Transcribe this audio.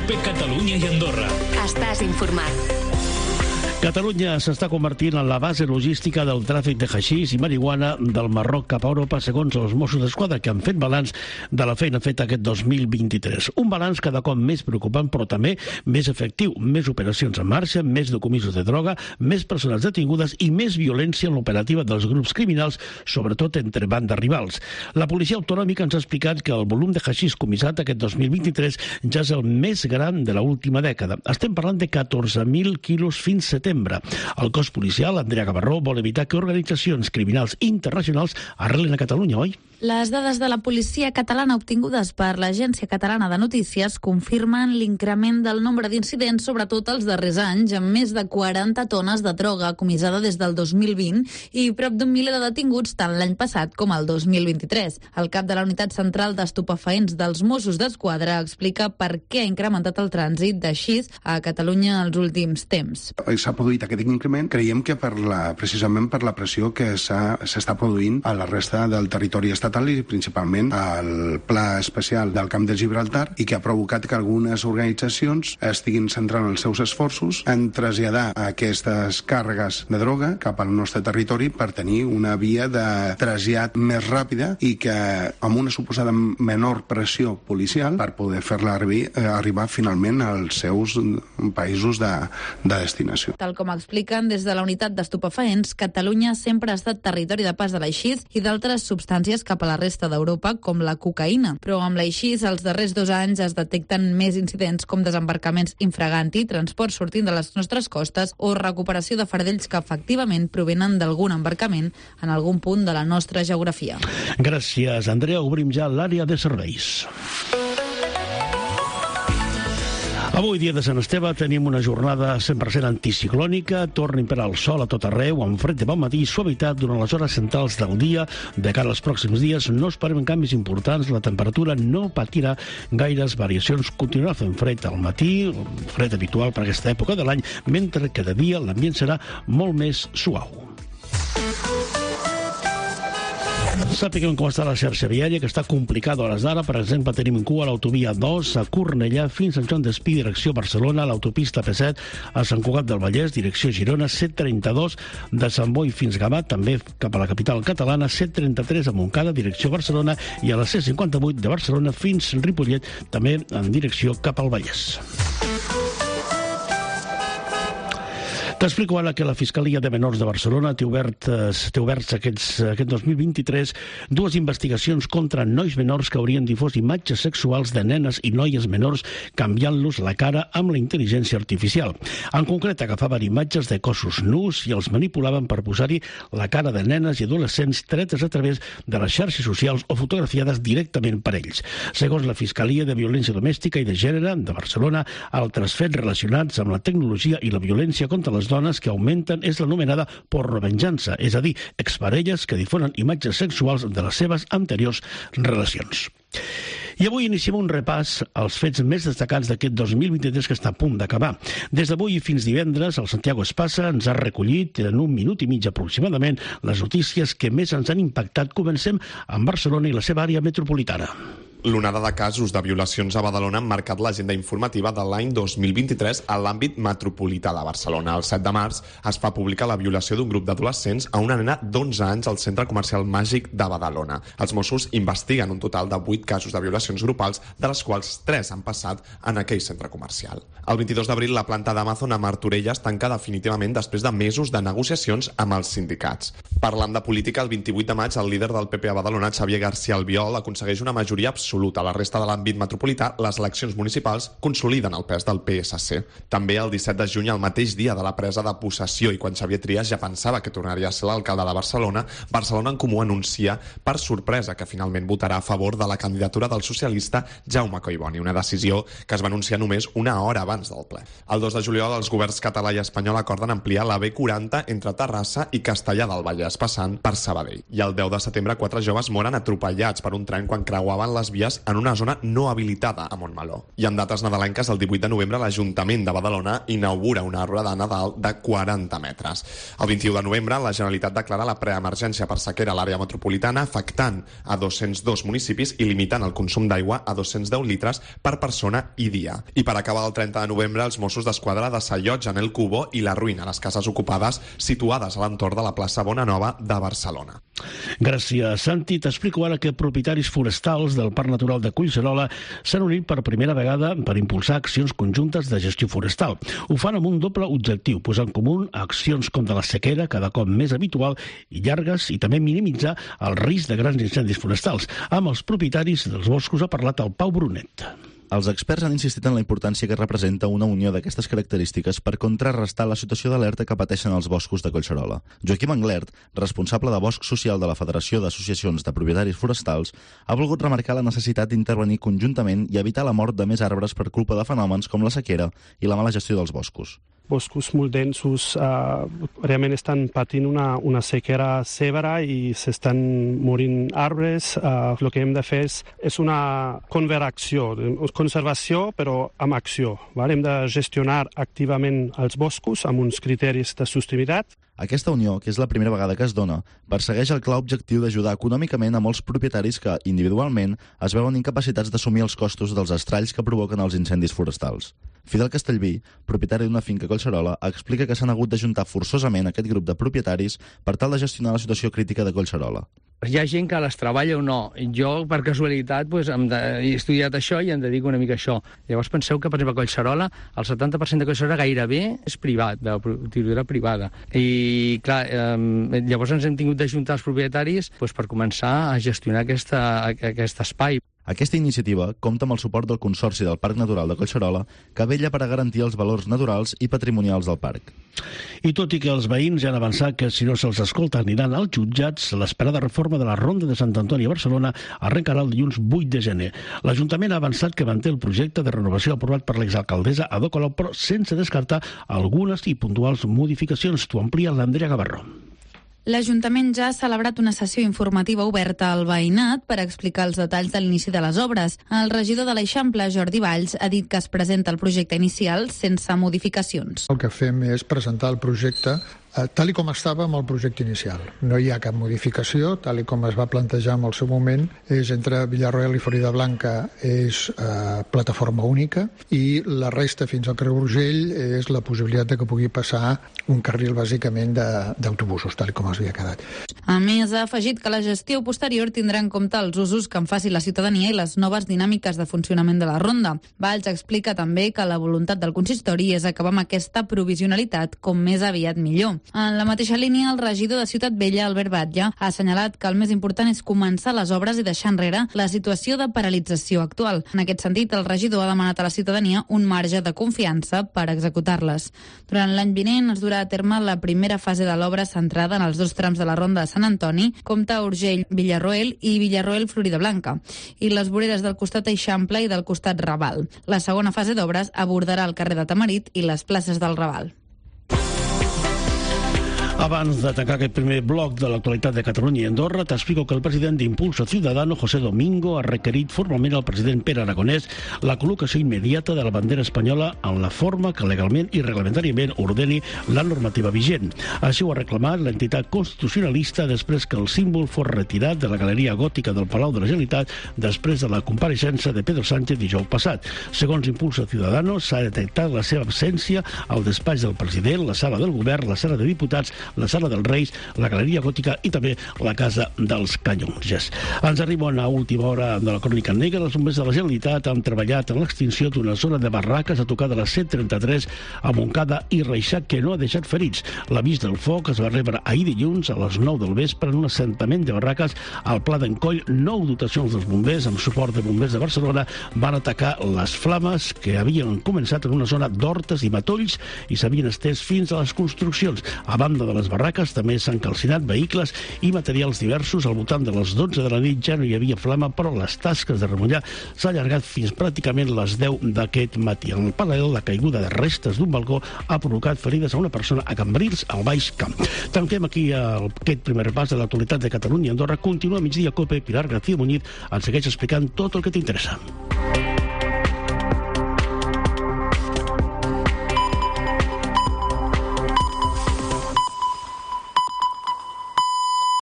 COPE Catalunya i Andorra. Estàs informat. Catalunya s'està convertint en la base logística del tràfic de haixís i marihuana del Marroc cap a Europa, segons els Mossos d'Esquadra, que han fet balanç de la feina feta aquest 2023. Un balanç cada cop més preocupant, però també més efectiu. Més operacions en marxa, més decomisos de droga, més persones detingudes i més violència en l'operativa dels grups criminals, sobretot entre bandes rivals. La policia autonòmica ens ha explicat que el volum de haixís comissat aquest 2023 ja és el més gran de l'última dècada. Estem parlant de 14.000 quilos fins setembre. El cos policial, Andrea Gavarró, vol evitar que organitzacions criminals internacionals arrelen a Catalunya, oi? Les dades de la policia catalana obtingudes per l'Agència Catalana de Notícies confirmen l'increment del nombre d'incidents, sobretot els darrers anys, amb més de 40 tones de droga comissada des del 2020 i prop d'un miler de detinguts tant l'any passat com el 2023. El cap de la Unitat Central d'Estupefaents dels Mossos d'Esquadra explica per què ha incrementat el trànsit de haixís a Catalunya els últims temps. S'ha produït aquest increment, creiem que precisament per la pressió que s'està produint a la resta del territori estatal i principalment al Pla Especial del Camp de Gibraltar, i que ha provocat que algunes organitzacions estiguin centrant els seus esforços en traslladar aquestes càrregues de droga cap al nostre territori per tenir una via de trasllat més ràpida i que amb una suposada menor pressió policial per poder fer-la arribar finalment als seus països de destinació. Tal com expliquen des de la Unitat d'Estupefaents, Catalunya sempre ha estat territori de pas de l'aixís i d'altres substàncies cap a la resta d'Europa, com la cocaïna. Però amb l'aixís, els darrers 2 anys es detecten més incidents com desembarcaments infraganti, transport sortint de les nostres costes o recuperació de fardells que efectivament provenen d'algun embarcament en algun punt de la nostra geografia. Gràcies, Andrea. Obrim ja l'àrea de serveis. Avui, dia de Sant Esteve, tenim una jornada 100% anticiclònica, torna a imperar el sol a tot arreu, amb fred de bon matí i suavitat durant les hores centrals del dia. De cara als pròxims dies no esperem canvis importants, la temperatura no patirà gaires variacions, continuarà fent fred al matí, fred habitual per aquesta època de l'any, mentre que de dia l'ambient serà molt més suau. Sapiguem com està la xarxa viària, que està complicada a hores d'ara. Per exemple, tenim en cua l'autovia 2 a Cornellà fins a Sant Joan d'Espí, direcció Barcelona, l'autopista P7 a Sant Cugat del Vallès, direcció Girona, 732 de Sant Boi fins Gavà, també cap a la capital catalana, 733 a Montcada, direcció Barcelona, i a la C58 de Barcelona fins a Ripollet, també en direcció cap al Vallès. T'explico ara que la Fiscalia de Menors de Barcelona té oberts aquest 2023 dues investigacions contra nois menors que haurien difós imatges sexuals de nenes i noies menors canviant-los la cara amb la intel·ligència artificial. En concret, agafaven imatges de cossos nus i els manipulaven per posar-hi la cara de nenes i adolescents tretes a través de les xarxes socials o fotografiades directament per ells. Segons la Fiscalia de Violència Domèstica i de Gènere de Barcelona, altres fets relacionats amb la tecnologia i la violència contra les dones que augmenten és l'anomenada pornovenjança, és a dir, exparelles que difonen imatges sexuals de les seves anteriors relacions. I avui iniciem un repàs als fets més destacats d'aquest 2023 que està a punt d'acabar. Des d'avui fins divendres, el Santiago Espasa ens ha recollit en 1 minut i mig aproximadament les notícies que més ens han impactat. Comencem amb Barcelona i la seva àrea metropolitana. L'onada de casos de violacions a Badalona han marcat l'agenda informativa de l'any 2023 a l'àmbit metropolità de Barcelona. El 7 de març es fa pública la violació d'un grup d'adolescents a una nena d'11 anys al centre comercial Màgic de Badalona. Els Mossos investiguen un total de 8 casos de violacions grupals, de les quals 3 han passat en aquell centre comercial. El 22 d'abril, la planta d'Amazon a Martorelles tanca definitivament després de mesos de negociacions amb els sindicats. Parlant de política, el 28 de maig, el líder del PP a Badalona, Xavier García Albiol, aconsegueix una majoria absoluta. A la resta de l'àmbit metropolità, les eleccions municipals consoliden el pes del PSC. També el 17 de juny, el mateix dia de la presa de possessió i quan Xavier Trias ja pensava que tornaria a ser l'alcalde de Barcelona, Barcelona en Comú anuncia per sorpresa que finalment votarà a favor de la candidatura del socialista Jaume Collboni, una decisió que es va anunciar només una hora abans del ple. El 2 de juliol, els governs català i espanyol acorden ampliar la B40 entre Terrassa i Castellar del Vallès, passant per Sabadell. I el 10 de setembre, 4 joves moren atropellats per un tren quan creuaven les vies autovies en una zona no habilitada a Montmeló. I en dates nadalenques, el 18 de novembre, l'Ajuntament de Badalona inaugura un arbre de Nadal de 40 metres. El 21 de novembre, la Generalitat declara la preemergència per sequera a l'àrea metropolitana, afectant a 202 municipis i limitant el consum d'aigua a 210 litres per persona i dia. I per acabar el 30 de novembre, els Mossos d'Esquadra desallotgen el Cubo i la ruïna les cases ocupades situades a l'entorn de la plaça Bonanova de Barcelona. Gràcies, Santi. T'explico ara que propietaris forestals del Parc Natural de Collserola s'han unit per primera vegada per impulsar accions conjuntes de gestió forestal. Ho fan amb un doble objectiu, posar en comú accions com de la sequera, cada cop més habitual i llargues, i també minimitzar el risc de grans incendis forestals. Amb els propietaris dels boscos ha parlat el Pau Brunet. Els experts han insistit en la importància que representa una unió d'aquestes característiques per contrarrestar la situació d'alerta que pateixen els boscos de Collserola. Joaquim Anglert, responsable de Bosc Social de la Federació d'Associacions de Propietaris Forestals, ha volgut remarcar la necessitat d'intervenir conjuntament i evitar la mort de més arbres per culpa de fenòmens com la sequera i la mala gestió dels boscos. Boscos molt densos realment estan patint una sequera severa i s'estan morint arbres. El que hem de fer és una conservació, però amb acció. Hem de gestionar activament els boscos amb uns criteris de sostenibilitat. Aquesta unió, que és la primera vegada que es dona, persegueix el clar objectiu d'ajudar econòmicament a molts propietaris que, individualment, es veuen incapacitats d'assumir els costos dels estralls que provoquen els incendis forestals. Fidel Castellví, propietari d'una finca a Collserola, explica que s'han hagut d'ajuntar forçosament aquest grup de propietaris per tal de gestionar la situació crítica de Collserola. Hi ha gent que les treballa o no. Jo, per casualitat, he estudiat això i em dedico una mica a això. Llavors penseu que, per exemple, a Collserola, el 70% de Collserola gairebé és privat, de titularitat privada. I, clar, llavors ens hem tingut d'ajuntar els propietaris per començar a gestionar aquest espai. Aquesta iniciativa compta amb el suport del Consorci del Parc Natural de Collserola, que vetlla per a garantir els valors naturals i patrimonials del parc. I tot i que els veïns ja han avançat que si no se'ls escolta aniran als jutjats, l'esperada reforma de la Ronda de Sant Antoni a Barcelona arrencarà el dilluns 8 de gener. L'Ajuntament ha avançat que manté el projecte de renovació aprovat per l'exalcaldessa Ada Colau, però sense descartar algunes i puntuals modificacions. T'ho amplia l'Andrea Gavarró. L'Ajuntament ja ha celebrat una sessió informativa oberta al veïnat per explicar els detalls de l'inici de les obres. El regidor de l'Eixample, Jordi Valls, ha dit que es presenta el projecte inicial sense modificacions. El que fem és presentar el projecte tal com estava amb el projecte inicial. No hi ha cap modificació, tal com es va plantejar en el seu moment, és entre Villarroel i Floridablanca és plataforma única i la resta fins al Creu Urgell és la possibilitat de que pugui passar un carril bàsicament d'autobusos, tal com es havia quedat. A més, ha afegit que la gestió posterior tindrà en compte els usos que en faci la ciutadania i les noves dinàmiques de funcionament de la ronda. Valls explica també que la voluntat del consistori és acabar amb aquesta provisionalitat com més aviat millor. En la mateixa línia, el regidor de Ciutat Vella, Albert Batlle, ha assenyalat que el més important és començar les obres i deixar enrere la situació de paralització actual. En aquest sentit, el regidor ha demanat a la ciutadania un marge de confiança per executar-les. Durant l'any vinent es durà a terme la primera fase de l'obra centrada en els dos trams de la Ronda de Sant Antoni, Comte Urgell, Villarroel i Villarroel, Floridablanca, i les voreres del costat Eixample i del costat Raval. La segona fase d'obres abordarà el carrer de Tamarit i les places del Raval. Abans de tancar aquest primer bloc de l'actualitat de Catalunya i Andorra, t'explico que el president d'Impulso Ciudadano, José Domingo, ha requerit formalment al president Pere Aragonès la col·locació immediata de la bandera espanyola en la forma que legalment i reglamentàriament ordeni la normativa vigent. Així ho ha reclamat l'entitat constitucionalista després que el símbol fos retirat de la galeria gòtica del Palau de la Generalitat després de la compareixença de Pedro Sánchez dijous passat. Segons Impulso Ciudadano, s'ha detectat la seva absència al despatx del president, la sala del govern, la sala de diputats, la sala dels Reis, la galeria gòtica i també la casa dels Canonges. Ens arriba a última hora de la crònica negra. Els bombers de la Generalitat han treballat en l'extinció d'una zona de barraques a tocar de la C33 a Montcada i Reixac que no ha deixat ferits. L'avís del foc es va rebre ahir dilluns a les 9 del vespre en un assentament de barraques al Pla d'en Coll. 9 dotacions dels bombers amb suport de bombers de Barcelona van atacar les flames que havien començat en una zona d'hortes i matolls i s'havien estès fins a les construccions. A banda de les barraques també s'han calcinat vehicles i materials diversos. Al voltant de les 12 de la nit ja no hi havia flama, però les tasques de remullar s'ha allargat fins pràcticament les 10 d'aquest matí. En paral·lel, la caiguda de restes d'un balcó ha provocat ferides a una persona a Cambrils, al Baix Camp. Tanquem aquí aquest primer repàs de l'actualitat de Catalunya i Andorra. Continua a migdia COPE. Pilar García Muñiz ens segueix explicant tot el que t'interessa.